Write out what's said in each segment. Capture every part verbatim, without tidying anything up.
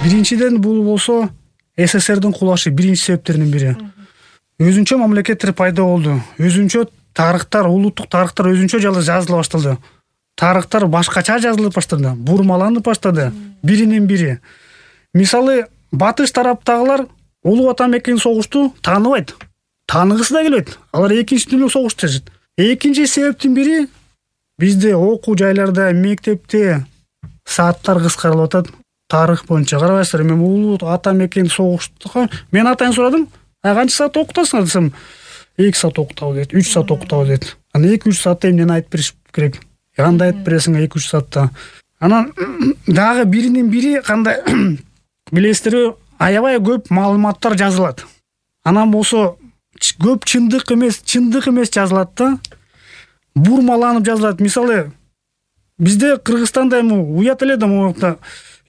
Биринчиден бул болсо СССРдин кулашы биринчи себептердин бири. Өзүнчө мамлекеттер пайда болду. Өзүнчө тарыхтар, улуттук тарыхтар өзүнчө жазыла башталды. Тарыхтар башкача жазылып баштады, бурмаланып баштады биринен бири. Мисалы, батыш тараптагылар Улуу Ата Мекенин согушту тааныбайт. Тааныгысы да келбейт. Алар экинчи дүйнөлүк согушту дешет. Экинчи себептин бири бизде окуу жайларда, мектепте сааттар кыскарылып атат. Тарых боюнча карабайсыздар, мен Улуу Ата Мекен согушту мен атайын сурадым. А канча саат окутасыңар десем, эки саат окутабыз дейт, үч саат окутабыз дейт. Аны эки үч саатта эмнени айтып бериш керек? Кандай айтып бересиң эки үч саатта? Анан дагы биринин бири кандай билесиздерби, аябай көп маалыматтар жазылат. Анан болсо көп чындык эмес, чындык эмес жазылат да. Бурмаланып жазылат. Мисалы, бизде Кыргызстанда эми уят эле да могунта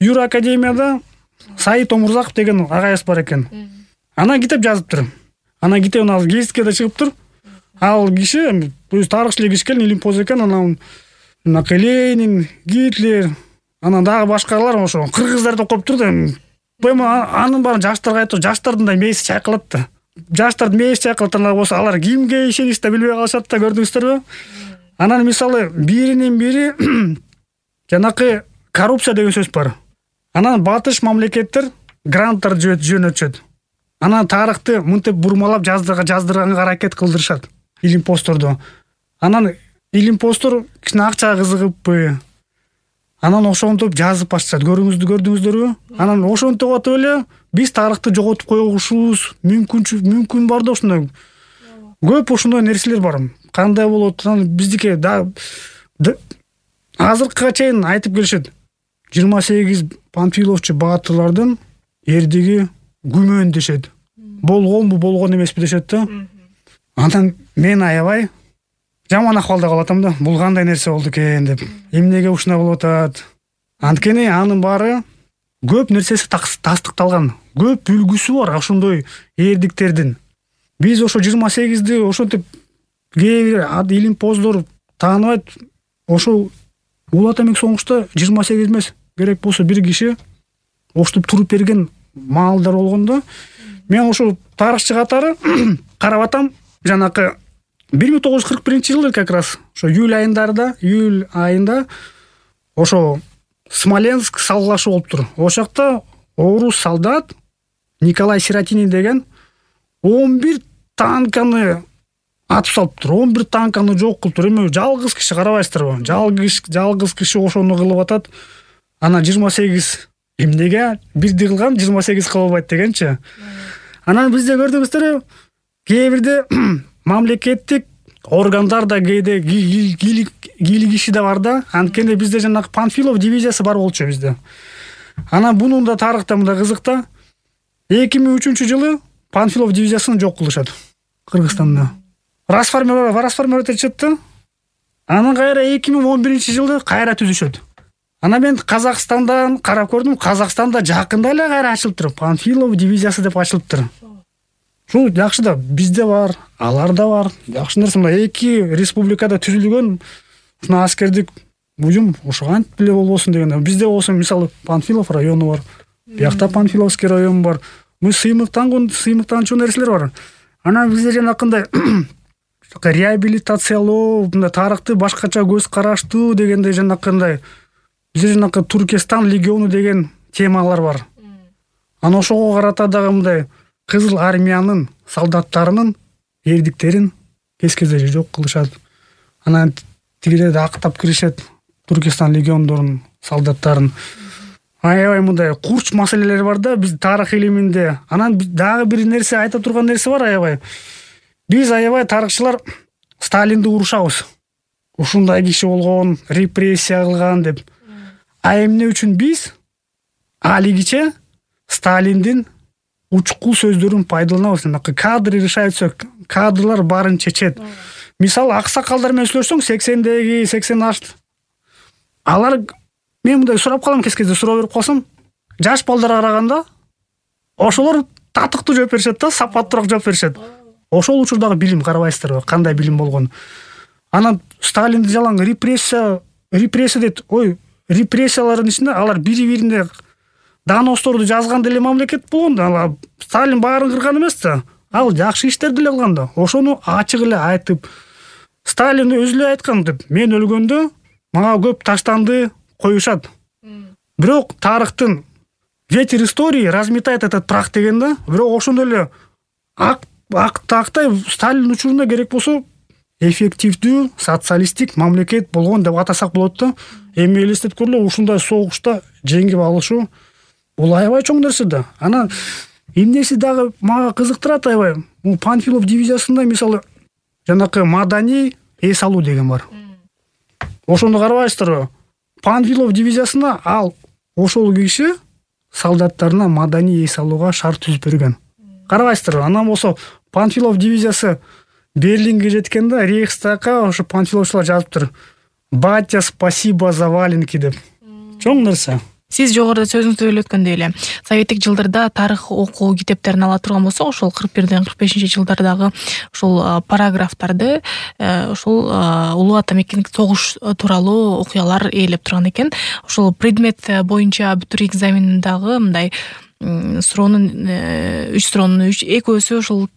Юра академияда Саид Омурзаков деген агайыбыз бар экен. Анан китеп жазыптыр. Анан китебин ал гезитке да чыгыптыр. Ал киши өз тарыхчылык ишкен, илимпоз экен. Анан Ленин, Гитлер, анан дагы башкалар ошо кыргыздар деп коюптур да. Анын баарын жаштарга айтып, жаштардын да мээси чайкалат да. Жаштардын мээси чайкалат, анан болсо алар кимге ишениш да билбей калышат да, көрдүңүздөрбү? Анан мисалы биринин бири жанакы коррупция деген сөз бар. Анан батыш мамлекеттер гранттар жөнөтүшөт. Анан тарыхты мынтип бурмалап жаздырганга аракет кылдырышат, илимпоздорду. Анан илимпоздор кичине акчага кызыгыппы, анан ошентип жазып башташат. Көрдүңүздөрбү? Анан ошентип атып эле биз тарыхты жоготуп койгушубуз мүмкүн мүмкүн бар да, ушундай. Көп ушундай нерселер бар. Кандай болот? Анан биздики да азыркыга чейин айтып келишет. жыйырма сегиз панфиловчу баатырлардын эрдиги күмөн дешет. Болгонбу, болгон эмеспи дешет да. Анан мен аябай жаман акыбалда калып атам да. Бул кандай нерсе болду экен деп. Эмнеге ушундай болуп атат? Анткени анын баары көп нерсеси тастыкталган. Көп үлгүсү бар ошондой эрдиктердин. Биз ошо жыйырма сегизди ошентип кээ бир илимпоздор тааныбайт. Ошо Улуу Ата Мекен согушта жыйырма сегиз эмес, керек болсо бир киши оштуп туруп берген маалдар болгондо, мен ошо тарыхчы катары карап атам. Жанакы бир миң тогуз жүз кырк биринчи жылы как раз ошо июль айындарда, июль айында ошо Смоленск салгылашы болуптур. Ошол жакта орус солдат Николай Сиротинин деген он бир танканы атып салыптыр. он бир танканы жок кылыптыр. Эми жалгыз киши, карабайсыздарбы? Жалгыз жалгыз киши ошону кылып атат. Анан жыйырма сегиз эмнеге бирди кылган, жыйырма сегиз кыла албайт дегенчи. Анан бизде көрдүңүздөрбү? Кээ бирде мамлекеттик органдар да кээде кийлигиши да бар да. Анткени бизде жанагы Панфилов дивизиясы бар болчу бизде. Анан бунун да тарыхта мындай кызык да. эки миң үчүнчү жылы Панфилов дивизиясын жок кылышат Кыргызстанда. Расформировать этишет да. Анан кайра эки миң он биринчи жылы кайра түзүшөт. Анан мен Казакстандан карап көрдүм. Казакстанда жакында эле кайра ачылыптыр. Панфилов дивизиясы деп ачылыптыр. Ушул жакшы да, бизде бар, аларда бар. Жакшы нерсе, мына эки республикада түзүлгөн ушуна аскердик буюм ошо кантип эле болбосун деген. Бизде болсо мисалы Панфилов району бар. Биякта Панфиловский район бар. Мы сыймыктанган, сыймыктанчу нерселер бар. Анан бизде жанакындай реабилитациялоо, мындай тарыхты башкача көз караштуу дегендей жанакындай бизде жанакы Туркестан легиону деген темалар бар. Анан ошого карата дагы мындай Кызыл армиянын солдаттарынын эрдиктерин кез-кезде жок кылышат. Анан тигилерди актап киришет, Туркестан легиондорунун солдаттарын. Аябай мындай курч маселелер бар да биз тарых илиминде. Анан дагы бир нерсе айта турган нерсе бар аябай. Биз аябай тарыхчылар Сталинди урушабыз. Ушундай киши болгон, репрессия кылган деп. А эмне үчүн биз алигиче Сталиндин учкул сөздөрүн пайдаланабыз. Кадры решают все, кадрлар баарын чечет. Мисалы аксакалдар менен сүйлөшсөң сексендеги, сексен аш. Алар мен мындай сурап калам, кез-кезде суроо берип калсам, жаш балдарга караганда ошолор татыктуу жооп беришет да, сапаттуураак жооп беришет. Ошол учурдагы билим карабайсыздарбы, кандай билим болгон. Анан Сталинди жалаң репрессия, репрессия дейт. Ой, репрессиялардын ичинде алар бири-бирине доносторду жазган деле мамлекет болгон да. Сталин баарын кырган эмес да. Ал жакшы иштерди эле кылган да. Ошону ачык эле айтып, Сталин өзү эле айткан деп, мен өлгөндө мага көп таштанды коюшат. Бирок тарыхтын ветер истории разметает этот прах деген да. Бирок ошондой эле ак актай Сталин учурунда керек болсо эффективдүү социалисттик мамлекет болгон деп атасак болот да. Эми элестетип көрүлө, ушундай согушта жеңип алышуу бул аябай чоң нерсе да. Анан эмнеси дагы мага кызыктырат аябай. Бул Панфилов дивизиясында мисалы жанакы маданий эс алуу деген бар. Ошону карабайсыздарбы? Панфилов дивизиясына ал ошол киши солдаттарына маданий эс алууга шарт түзүп берген. Карабайсыздарбы? Анан болсо Панфилов дивизиясы Берлинге жеткенде Рейхстагга ошо панфиловчулар жазыптыр. Батя, спасибо за валенки деп. Чоң нерсе. Сиз жогоруда сөзүңүздө эле өткөндөй эле советтик жылдарда тарых окуу китептерин ала турган болсок, ошол кырк бирден кырк бешинчи жылдардагы ошол параграфтарды ошол улуу ата мекендик согуш тууралуу окуялар ээлеп турган экен. Ошол предмет боюнча бүтүр экзамендагы мындай суроонун үч суроонун экөөсү ошол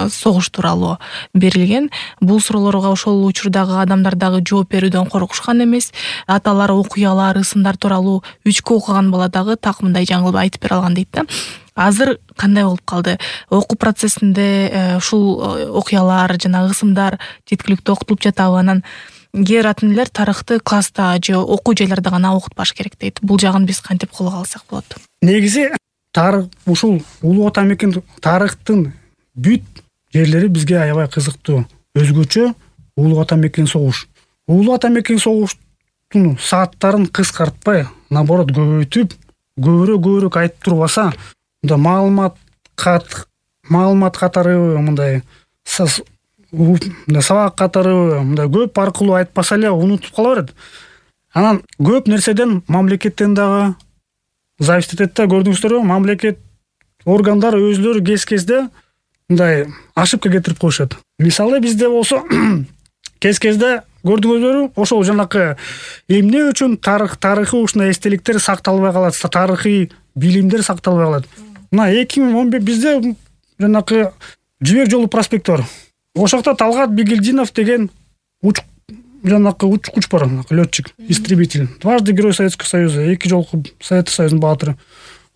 согуш тууралуу берилген. Бул суроолорго ошол учурдагы адамдар дагы жооп берүүдөн коркушкан эмес. Аталар окуялар, ысымдар тууралуу үчкө окуган бала дагы так мындай жаңылып айтып бере алган дейт да. Азыр кандай болуп калды? Окуу процессинде ушул окуялар жана ысымдар жеткиликтүү окутулуп жатабы? Анан кээ бир ата энелер тарыхты класста же окуу жайларда гана окутпаш керек дейт. Бул жагын биз кантип колго алсак болот? Негизи тарых ушул улуу ата мекен тарыхтын бүт жерлери бизге аябай кызыктуу. Өзгөчө улуу ата мекен согуш. Улуу ата мекен согуштун сааттарын кыскартпай, наоборот көбөйтүп, көбүрөөк көбүрөөк айтып турбаса, мында маалымат кат маалымат катары мындай сабак катары мындай көп аркылуу айтпаса эле унутуп кала берет. Анан көп нерседен мамлекеттен дагы зависит этет да. Көрдүңүздөрбү? Мамлекет органдары өзлөрү кез-кезде мындай ошибка кетирип коюшат. Мисалы бизде болсо кез-кезде көрдүңүздөрбү, ошол жанакы эмне үчүн тарых тарыхый ушундай эстеликтер сакталбай калат, тарыхый билимдер сакталбай калат. Мына эки миң он беш бизде жанакы Жибек жолу проспекти бар. Ошокто Талгат Бигелдинов деген уч жанакы учкуч бар, летчик, истребитель, дважды Герой Советского Союза, эки жолку Совет Союзунун баатыры.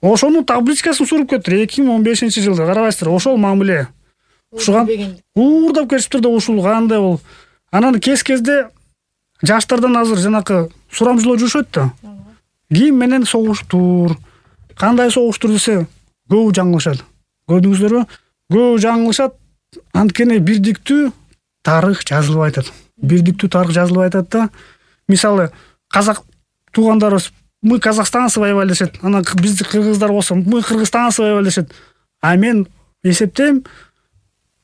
Ошонун табличкасын суруп кетир эки миң он бешинчи жылда. Карабайсыздар, ошол мамиле. Ушуга уурдап кетиптир да, ушул кандай бол. Анан кез-кезде жаштардан азыр жанакы сурамжылоо жүрүшөт да. Ким менен согуштур, кандай согуштур десе көбү жаңылышат. Көрдүңүздөрбү? Көбү жаңылышат. Анткени бирдиктүү тарых жазылбай атат. Бирдиктүү тарых жазылбай атат да. Мисалы, казак туугандарыбыз мы казахстанцы воевали дешет. Анан бизди кыргыздар болсо мы кыргызстанцы воевали дешет. А мен эсептейм,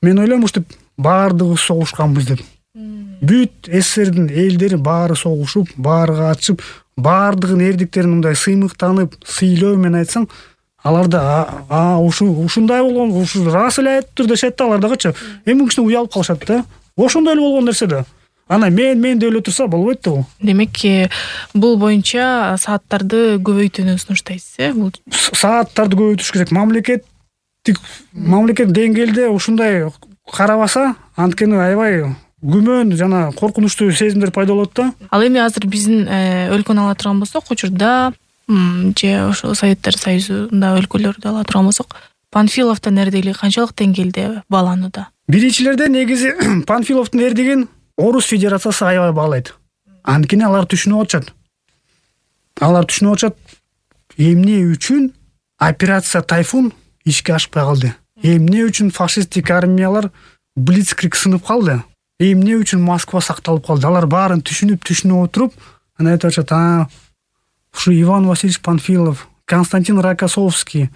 мен ойлойм ушинтип баардыгыбыз согушканбыз деп. Бүт СССРдин элдери баары согушуп, баары катышып, баардыгын эрдиктерин мындай сыймыктанып, сыйлоо менен айтсаң, алар да а ушундай болгон, ушу рас эле айтыптыр дешет да, алар дагычы. Эми кичине уялып калышат да. Ошондой эле болгон нерсе да. Ана мен мен деп эле турса болбойт да бул. Демек, бул боюнча сааттарды көбөйтүүнү сунуштайсыз, э? Бул сааттарды көбөйтүш керек. Мамлекеттик мамлекет деңгээлде ушундай карабаса, анткени аябай күмөн жана коркунучтуу сезимдер пайда болот да. Ал эми азыр биздин өлкөнү ала турган болсок, учурда же ошо Советтер Союзунда өлкөлөрдү ала турган болсок, Панфиловдун эрдиги канчалык деңгээлде бааланууда? Биринчилерде негизи Панфиловдун эрдигин Орус Федерациясы аябай баалайт. Анткени алар түшүнүп атышат. Алар түшүнүп атышат эмне үчүн операция Тайфун ишке ашпай калды. Эмне үчүн фашисттик армиялар Блицкриг сынып калды. Эмне үчүн Москва сакталып калды. Алар баарын түшүнүп, түшүнүп отуруп, анан айтып атышат, а ушу Иван Васильевич Панфилов, Константин Рокоссовский,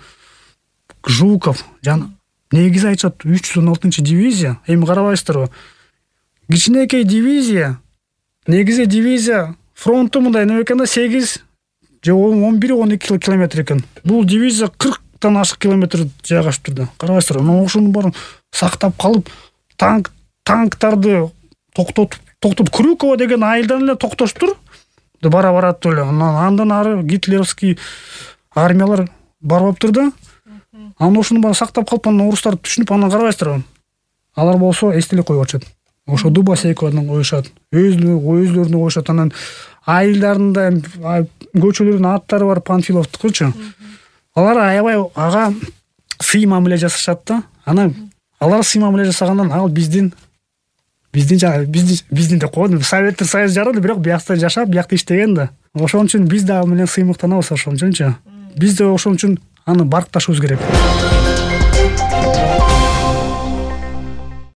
Жуков, жана негизи айтышат үч жүз он алтынчы дивизия. Эми карабайсыздарбы? Кичинекей дивизия, негизи дивизия фронту мындай неме экен да, сегиз же он бир он эки километр экен. Бул дивизия кырктан ашык километр жайгашып турду. Карабайсыздарбы? Анан ошонун баарын сактап калып, танк танктарды токтотуп токтоп Крюкова деген айылдан эле токтоштур. Бара барат эле. Анан андан ары гитлеровский армиялар барбаптыр да. Анан ошону баары сактап калып, анан орустар түшүнүп анан карабайсыздарбы? Алар болсо эстелик коюп атышат. Ошо дуба сейкадан коюшат, өзүнү өзүлөрүнө коюшат. Анан айылдарын да көчөлөрдүн аттары бар Панфиловдукучу. Алар аябай ага сый мамиле жасашат да. Анан алар сый мамиле жасагандан ал биздин биздин биздин биздин деп койдум. Советтик Союз жарады, бирок биякта жашап, биякта иштеген да. Ошон үчүн биз да ал менен сыймыктанабыз ошон үчүнчү. Биз да ошон үчүн аны баркташыбыз керек.